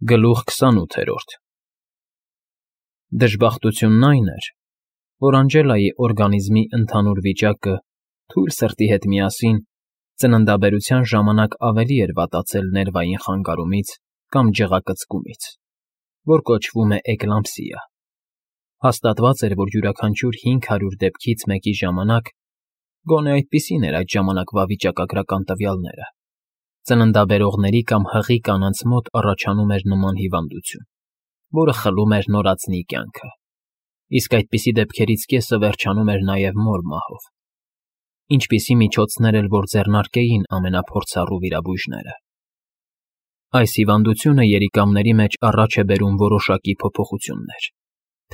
Գլուխ 28 Դժբախտությունն այն էր, որ Անգելայի օրգանիզմի ընդհանուր վիճակը թույլ սրտի հետ միասին ծննդաբերության ժամանակ ավելի էր վատացել ներվային խանգարումից կամ ջղակծկումից, որ կոչվում է էկլամպսիա. հաստատված էր, որ յուրաքանչյուր 500 դեպքից մեկի ժամանակ, գոնե այդպիսին էր այդ ժամանակվա վիճակագրական տվյալները, ծննդաբերողների կամ հղի կանանց մոտ առաջանում էր նման հիվանդություն, որը խլում էր նորածնի կյանքը, իսկ այդպիսի դեպքերից կեսը վերջանում էր նաև մոր մահով, ինչպիսի միջոցներ էլ որ ձեռնարկեին ամենափորձառու վիրաբույժները։ Այս հիվանդությունը երիկամների մեջ առաջ է բերում որոշակի փոփոխություններ,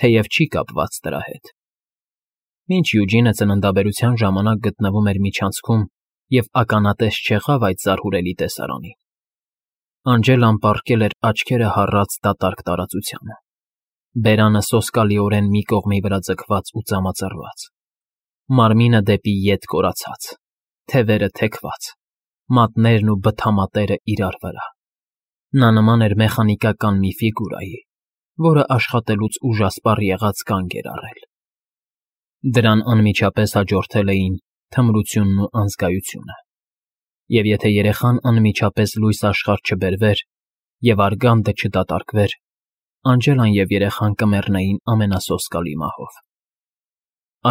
թեև չի կապված դրա հետ։ Մինչ Յուջինը ծննդաբերության ժամանակ գտնվում էր միջանցքում և ականատես չեղավ այդ զարհուրելի տեսարանին, Անգելան պառկել էր աչքերը հառած դատարկ տարածությանը, բերանը սոսկալիորեն մի կողմի վրա ձգված ու ծամածռված, մարմինը դեպի ետ կորացած, թևերը թեքված, մատներն ու բթամատերը իրար վրա։ Նա նման էր մեխանիկական մի ֆիգուրայի, որը աշխատելուց ուժասպառ եղած կանգ էր առել։ Դրան անմիջապես հաջորդել էին թմրությունն ու անզգայությունը, և եթե երեխան անմիջապես լույս աշխարհ չբերվեր և արգանդը չդատարկվեր, Անգելան և երեխան կմեռնեին ամենասոսկալի մահով։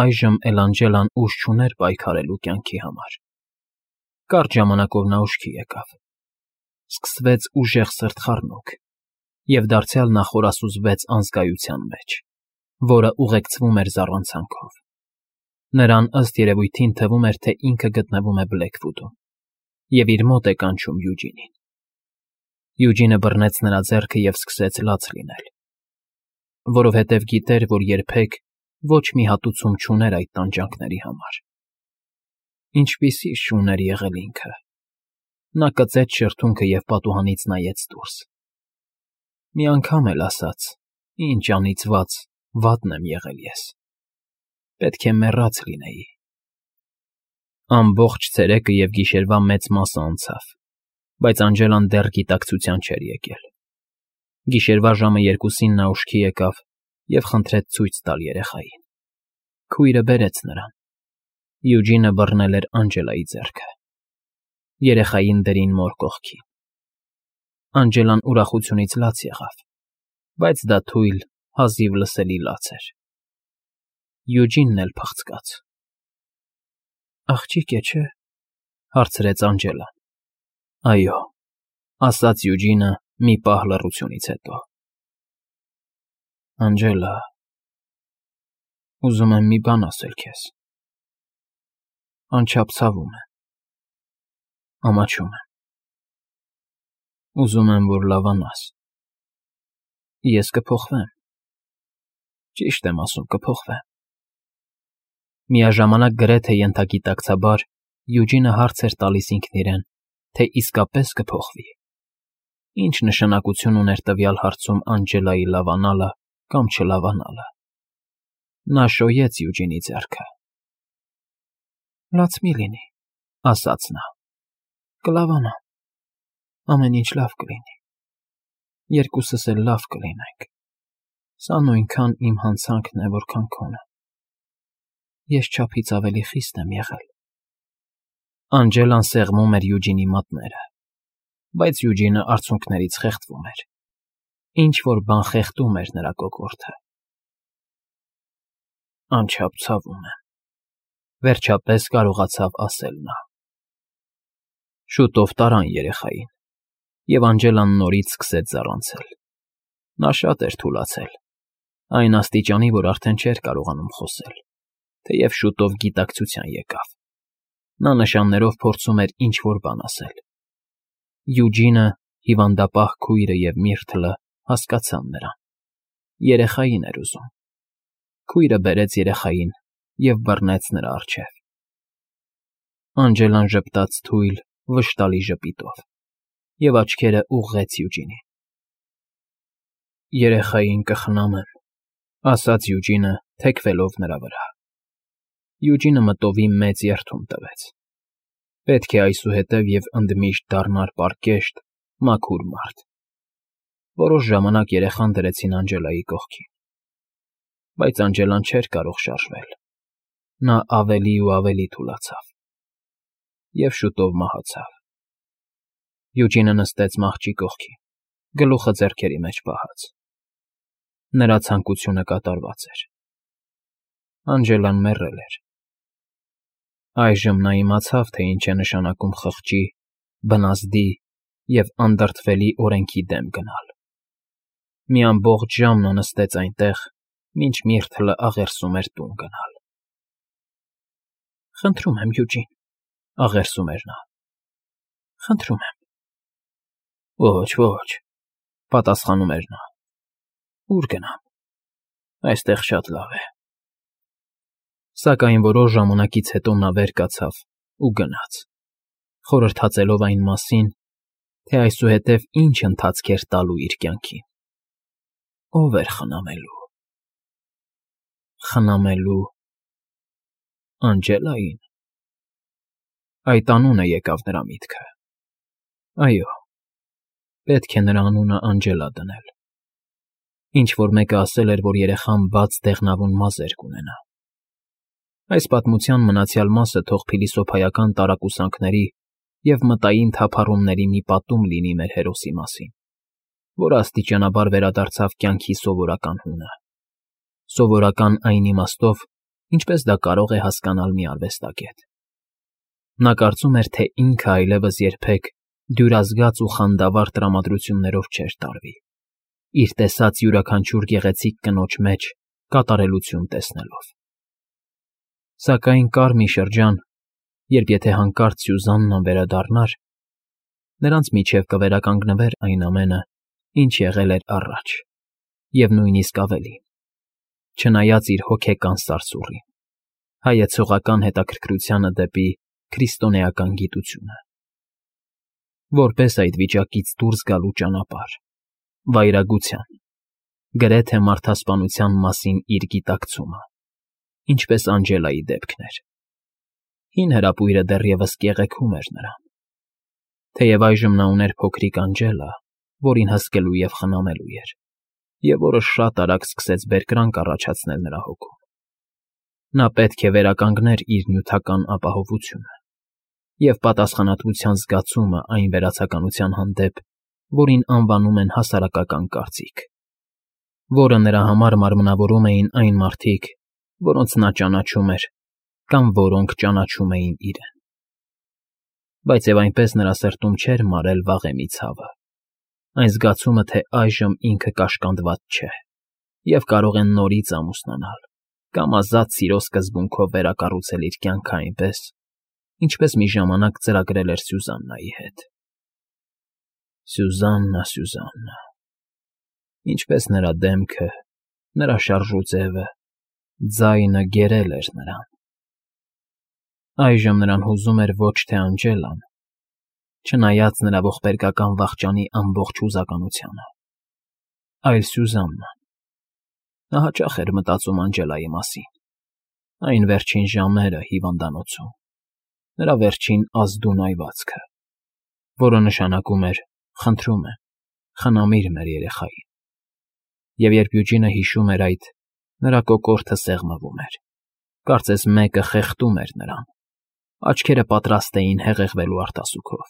Այժմ էլ Անգելան ուժ չուներ պայքարելու կյանքի համար։ Կարճ ժամանակով նա ուշքի եկավ։ Սկսվեց ուժեղ սրտխառնոք, և դարձյալ նա խորասուզվեց անզգայության մեջ, որը ուղեկցվում էր զառանցանքով։ Նրան ըստ երևույթին թվում էր, թե ինքը գտնվում է Բլեքվուդում և իր մոտ է կանչում Յուջինին։ Յուջինը բռնեց նրա ձեռքը և սկսեց լաց լինել, որովհետև գիտեր, որ երբեք ոչ մի հատուցում չուներ այդ տանջանքների համար։ Ինչպիսի շուն էր եղել ինքը։ Նա կծեց շրթունքը և պատուհանից նայեց դուրս։ Մի անգամ էլ ասաց. «Ինչ անիծված, վատն եմ եղել ես։ Պետք է մեռած լինեի»։ Ամբողջ ցերեկը և գիշերվա մեծ մասը անցավ, բայց Անգելան դեռ գիտակցության չէր եկել։ Գիշերվա ժամը 2-ին նա ուշքի եկավ և խնդրեց ցույց տալ երեխային։ Քույրը բերեց նրան։ Յուջինը բռնել էր Անգելայի ձեռքը։ Երեխային դրին մոր կողքին։ Անգելան ուրախությունից լաց եղավ, բայց դա թույլ, հազիվ լսելի լաց էր։ Յուջինն էլ փղցկաց։ «Աղջիկ է, չէ՞», հարցրեց Անգելան։ «Այո», ասաց Յուջինը մի պահ լռությունից հետո։ «Անգելա, ուզում եմ մի բան ասել քեզ։ Անչափ ցավում է, ամաչում եմ։ Ուզում եմ, որ լավանաս։ Ես կփոխվեմ, ճիշտ եմ ասում, կփոխվեմ»։ Միաժամանակ գրեթե ենթագիտակցաբար Յուջինը հարց էր տալիս ինքն իրեն, թե իսկապես կփոխվի։ Ինչ նշանակություն ուներ տվյալ հարցում Անգելայի լավանալը կամ չլավանալը։ Նա շոյեց Յուջինի ձեռքը։ «Լաց մի լինի», ասաց նա։ «Կլավանամ, ամեն ինչ լավ կլինի։ Երկուսս էլ լավ կլինենք։ Սա նույնքան իմ հանցանքն է, որքան քոնը։ Ես չափից ավելի խիստ եմ եղել»։ Անգելան սեղմում էր Յուջինի մատները, բայց Յուջինը արցունքներից խեղդվում էր։ Ինչ֊որ բան խեղդում էր նրա կոկորդը։ «Անչափ ցավում եմ», վերջապես կարողացավ ասել նա։ Շուտով տարան երեխային, և Անգելան նորից սկսեց զառանցել։ Նա շատ էր թուլացել, այն աստիճանի, որ արդեն չէր կարողանում խոսել, թեև շուտով գիտակցության եկավ։ Նա նշաններով փորձում էր ինչ֊որ բան ասել։ Յուջինը, հիվանդապահ քույրը և Միրթլը հասկացան նրան։ Երեխային էր ուզում։ Քույրը բերեց երեխային և բռնեց նրա առջև։ Անգելան ժպտաց թույլ, վշտալի ժպիտով և աչքերը ուղղեց Յուջինին։ «Երեխային կխնամեմ», ասաց Յուջինը, թեքվելով նրա վրա։ Յուջինը մտովի մեծ երդում տվեց։ Պետք է այսուհետև և ընդմիշտ դառնար պարկեշտ, մաքուր մարդ։ Որոշ ժամանակ երեխան դրեցին Անջելայի կողքին, բայց Անջելան չէր կարող շարժվել. նա ավելի ու ավելի թուլացավ և շուտով մահացավ։ Յուջինը նստեց մահճի կողքին, գլուխը ձեռքերի մեջ պահած։ Նրա ցանկությունը կատարված էր։ Անջելան մեռել էր։ Այժմ նա իմացավ, թե ինչ է նշանակում խղճի, բնազդի և անդրդվելի օրենքի դեմ գնալ։ Մի ամբողջ ժամ նա նստեց այնտեղ, մինչ Միրթլը աղերսում էր տուն գնալ։ «Խնդրում եմ, Յուջին,» աղերսում էր նա։ «Խնդրում եմ»։ «Ոչ, ոչ,» պատասխանում էր նա։ «Ո՞ւր գնամ։ Այստեղ շատ լավ է»։ Սակայն որոշ ժամանակից հետո նա վեր կացավ ու գնաց, խորհրդածելով այն մասին, թե այսուհետև ինչ ընթացք էր տալու իր կյանքին։ Ո՞վ էր խնամելու։ Խնամելու Անջելային։ Այդ անունը եկավ նրա միտքը։ Այո, պետք է նրա անունը Անջելա դնել։ Ինչ֊որ մեկը ասել էր, որ երեխան բաց դեղնավուն մազեր կունենա։ Այս պատմության մնացյալ մասը թող փիլիսոփայական տարակուսանքների և մտային թափառումների մի պատում լինի մեր հերոսի մասին, որը աստիճանաբար վերադարձավ կյանքի սովորական հունը։ Սովորական այն իմաստով, ինչպես դա կարող է հասկանալ մի արվեստագետ։ Նա կարծում էր, թե ինքը այլևս երբեք դյուրազգաց ու խանդավառ տրամադրություններով չէր տարվի, իր տեսած յուրաքանչյուր գեղեցիկ կնոջ մեջ կատարելություն տեսնելով։ Սակայն կար մի շրջան, երբ եթե հանկարծ Սյուզաննան վերադառնար, նրանց միջև կվերականգնվեր այն ամենը, ինչ եղել էր առաջ, և նույնիսկ ավելին, չնայած իր հոգեկան սարսուռին, հայեցողական հետաքրքրությանը դեպի քրիստոնեական գիտությունը։ Որպես այդ վիճակից դուրս գալու ճանապարհ, վայրագության, գրեթե մարդասպանության մասին իր գիտակցումը, ինչպես Անջելայի դեպքն էր։ Հին հրապույրը դեռևս կեղեքում էր նրան։ Թեև այժմ նա ուներ փոքրիկ Անջելա, որին հսկելու և խնամելու էր, և որը շատ արագ սկսեց բերկրանք առաջացնել նրա հոգում։ Նա պետք է վերականգներ իր նյութական ապահովությունը և պատասխանատվության զգացումը այն վերացականության հանդեպ, որին անվանում են հասարակական կարծիք, որը նրա համար մարմնավորում էին այն մարդիկ, որոնց նա ճանաչում էր կամ որոնք ճանաչում էին իրեն։ Բայց և այնպես նրա սրտում չէր մարել վաղեմի ցավը, այն զգացումը, թե այժմ ինքը կաշկանդված չէ և կարող է նորից ամուսնանալ կամ ազատ սիրո սկզբունքով վերակառուցել իր կյանքը այնպես, ինչպես մի ժամանակ ծրագրել էր Սյուզաննայի հետ։ Սյուզաննա, Սյուզաննա… Ինչպես նրա դեմքը, նրա շարժուձևը, ձայնը գերել էր նրան։ Այժմ նրան հուզում էր ոչ թե Անջելան, չնայած նրա ողբերգական վախճանի ամբողջ հուզականությանը, այլ Սյուզաննան։ Նա հաճախ էր մտածում Անջելայի մասին, այն վերջին ժամերը հիվանդանոցում, նրա վերջին ազդուն այվածքը, որը նշանակում էր. «Խնդրում եմ, խնամիր մեր երեխային»։ Եվ երբ Յուջինը հիշում էր այդ, նրա կոկորդը սեղմվում էր, կարծես մեկը խեղդում էր նրան, աչքերը պատրաստ էին հեղեղվելու արտասուքով։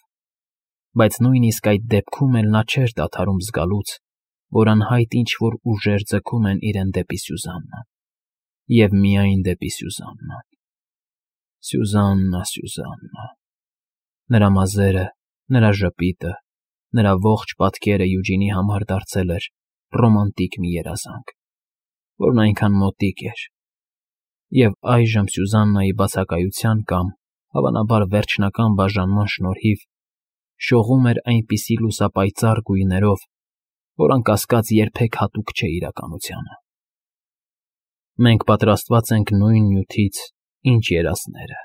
Բայց նույնիսկ այդ դեպքում էլ նա չէր դադարում զգալուց, որ անհայտ ինչ֊որ ուժեր ձգում են իրեն դեպի Սյուզաննան, և միայն դեպի Սյուզաննան։ Սյուզաննա, Սյուզաննա… Նրա մազերը, նրա ժպիտը, նրա ողջ պատկերը Յուջինի համար դարձել էր ռոմանտիկ մի երազանք, որն այնքան մոտիկ էր, և այժմ Սյուզաննայի բացակայության կամ, հավանաբար, վերջնական բաժանման շնորհիվ շողում էր այնպիսի լուսապայծառ գույներով, որ անկասկած երբեք հատուկ չէ իրականությանը։ Մենք պատրաստված ենք նույն նյութից, ինչ երազները,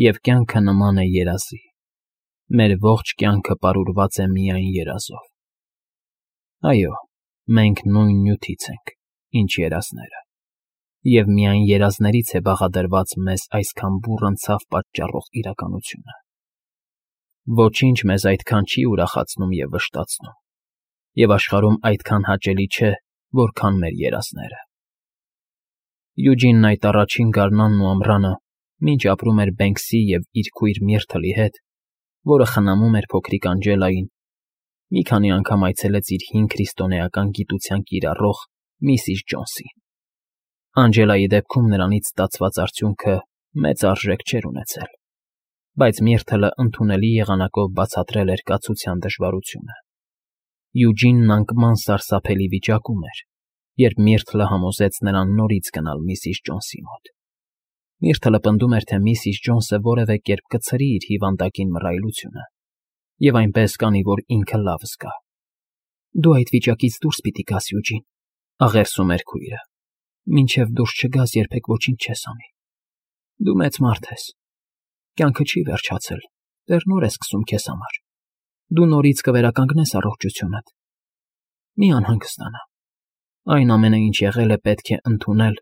և կյանքը նման է երազի, մեր ողջ կյանքը պարուրված է միայն երազով։ Այո, մենք նույն նյութից ենք, ինչ երազները, և միայն երազներից է բաղադրված մեզ այսքան բուռն ցավ պատճառող իրականությունը։ Ոչինչ մեզ այդքան չի ուրախացնում և վշտացնում, Եվ աշխարհում այդքան հաճելի չէ, որքան մեր երազները։ Յուջինն այդ առաջին գարնանն ու ամռանը, մինչ ապրում էր Բենքսի և իր քույր Միրթլի հետ, որը խնամում էր փոքրիկ Անջելային, մի քանի անգամ այցելեց իր հին քրիստոնեական գիտության կիրառող Միսիս Ջոնսին։ Անջելայի դեպքում նրանից ստացված արդյունքը մեծ արժեք չէր ունեցել, բայց Միրթլը ընդունելի եղանակով բացատրել էր կացության դժվարությունը։ Յուջինն անկման սարսափելի վիճակում էր, երբ Միրթլը համոզեց նրան նորից գնալ Միսիս Ջոնսի մոտ։ Միրթլը պնդում էր, թե Միսիս Ջոնսը որևէ կերպ կցրի իր հիվանդակին մռայլությունը, և այնպես կանի, որ ինքը լավ զգա։ Դու այդ վիճակից դուրս պիտի գաս, Յուջին, աղերսում էր քույրը։ Մինչև դուրս չգաս, երբեք ոչինչ չես անի։ Դու մեծ մարդ ես։ Կյանքը չի վերջացել, դեռ նոր է սկսում քեզ համար։ Դու նորից կվերականգնես առողջությունդ։ Մի անհանգստանա։ Այն ամենը, ինչ եղել է, պետք է ընդունել,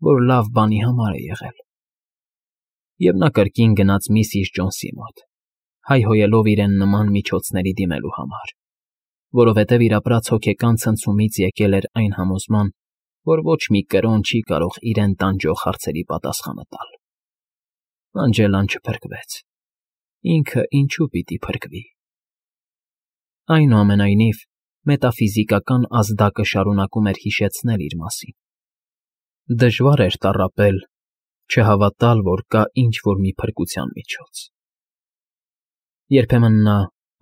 որ լավ բանի համար է եղել։ Եվ նա կրկին գնաց Միսիս Ջոնսի մոտ, հայհոյելով իրեն նման միջոցների դիմելու համար, որովհետև իր ապրած հոգեկան ցնցումից եկել էր այն համոզման, որ ոչ մի կրոն չի կարող իրեն տանջող հարցերի պատասխանը տալ։ Անջելան չփրկվեց։ Ինքը ինչու պիտի փրկվի։ Այնուամենայնիվ, մետաֆիզիկական ազդակը շարունակում էր հիշեցնել իր մասին։ Դժվար էր տառապել, չհավատալ, որ կա ինչ-որ մի փրկության միջոց։ Երբեմն նա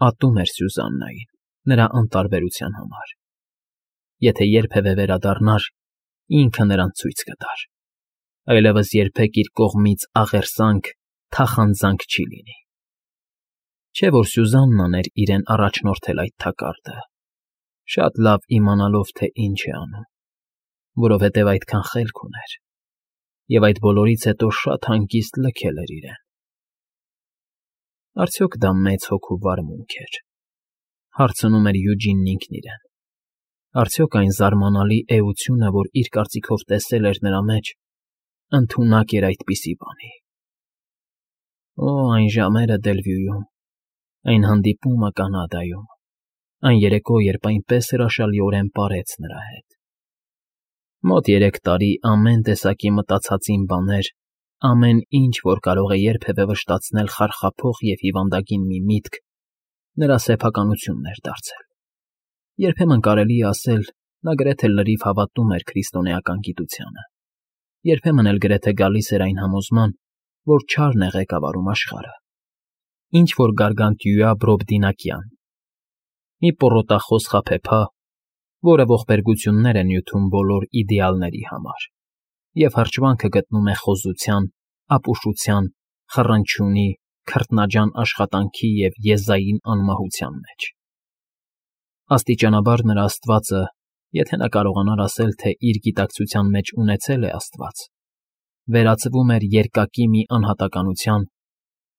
ատում էր Սյուզաննային, նրա անտարբերության համար։ Եթե երբևէ վերադառնար, ինքը նրան ցույց կտար։ Այլևս երբեք իր կողմից աղերսանք, թախանձանք չի լինի։ Չէ՞ որ Սյուզաննան էր իրեն առաջնորդել այդ թակարդը, շատ լավ իմանալով, թե ինչ է անում, որովհետև այդքան խելք ուներ, և այդ բոլորից հետո շատ հանգիստ լքել էր իրեն։ Արդյոք դա մեծ հոգու վարմունք էր, հարցնում էր Յուջինն ինքն իրեն։ Արդյոք այն զարմանալի էությունը, որ իր կարծիքով տեսել էր նրա մեջ, ընդունակ էր այդպիսի բանի։ Օ, այն ժամերը Դելվյուում, այն հանդիպումը Կանադայում, այն երեկո, երբ այնպես հրաշալիորեն պարեց նրա հետ։ Մոտ 3 տարի ամեն տեսակի մտածածին բաներ, ամեն ինչ, որ կարող է երբևէ վշտացնել խարխափող և հիվանդագին մի միտք, նրա սեփականությունն էր դարձել։ Երբեմն կարելի է ասել, նա գրեթե լրիվ հավատում էր քրիստոնեական գիտությանը։ Երբեմն էլ գրեթե գալիս էր այն համոզման, որ չարն է ղեկավարում աշխարհը։ Ինչ-որ գարգանտյուա Բրոբդինակյան, մի պոռոտախոս խաբեբա, որը ողբերգություններ է նյութում բոլոր իդեալների համար, և հրճվանքը գտնում է խոզության, ապուշության, խռնչյունի, քրտնաջան աշխատանքի և եզային անմահության մեջ։ Աստիճանաբար նրա աստվածը, եթե նա կարողանար ասել, թե իր գիտակցության մեջ ունեցել է աստված, վերածվում էր երկակի մի անհատականության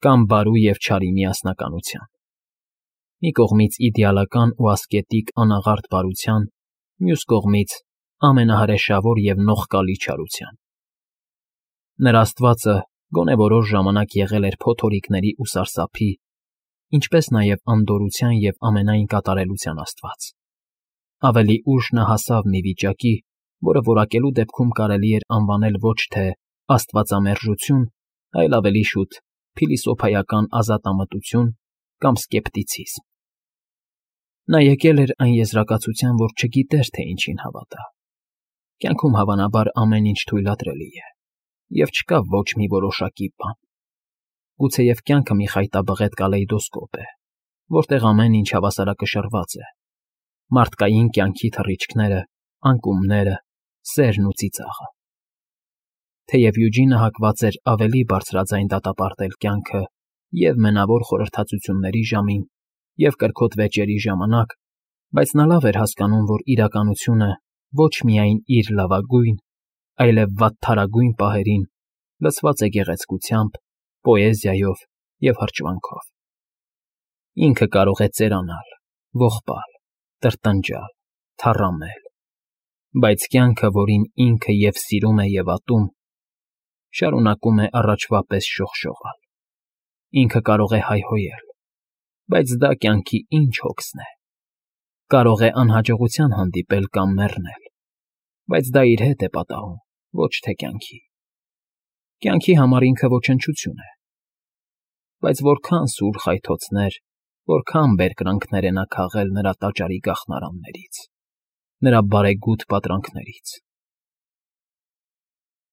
կամ բարու և չարի միասնականության։ Մի կողմից իդեալական ու ասկետիկ անաղարտ բարության, մյուս կողմից ամենահրեշավոր և նողկալի չարության։ Նրա աստվածը գոնե որոշ ժամանակ եղել էր փոթորիկների ու սարսափի, ինչպես նաև անդորրության և ամենայն կատարելության աստված։ Ավելի ուշ նա հասավ մի վիճակի, որը որակելու դեպքում կարելի էր անվանել ոչ թե աստվածամերժություն, այլ ավելի շուտ փիլիսոփայական ազատամտություն կամ սկեպտիցիզմ։ Նա եկել էր այն եզրակացության, որ չգիտեր, թե ինչին հավատա։ Կյանքում հավանաբար ամեն ինչ թույլատրելի է, և չկա ոչ մի որոշակի բան։ Գուցեև կյանքը մի խայտաբղետ կալեյդոսկոպ է, որտեղ ամեն ինչ հավասարակշռված է. մարդկային կյանքի թռիչքները, անկումները, սերն ու ծիծաղը։ Թեև Յուջինը հակված էր ավելի բարձրաձայն դատապարտել կյանքը և մենավոր խորհրդածությունների ժամին, և կրքոտ վեճերի ժամանակ, բայց նա լավ էր հասկանում, որ իրականությունը ոչ միայն իր լավագույն, այլև վատթարագույն պահերին լցված է գեղեցկությամբ, պոեզիայով և հրճվանքով։ Ինքը կարող է ծերանալ, ողբալ, տրտնջալ, թառամել, բայց կյանքը, որին ինքը և սիրում է և ատում, շարունակում է առաջվա պես շողշողալ։ Ինքը կարող է հայհոյել, բայց դա կյանքի ինչ հոգսն է։ Կարող է անհաջողության հանդիպել կամ մեռնել, բայց դա իր հետ է պատահում, ոչ թե կյանքի։ Կյանքի համար ինքը ոչնչություն է, բայց որքան սուր խայթոցներ, որքան բերկրանքներ է նա քաղել նրա տաճարի գաղթարաններից, նրա բարեգութ պատրանքներից։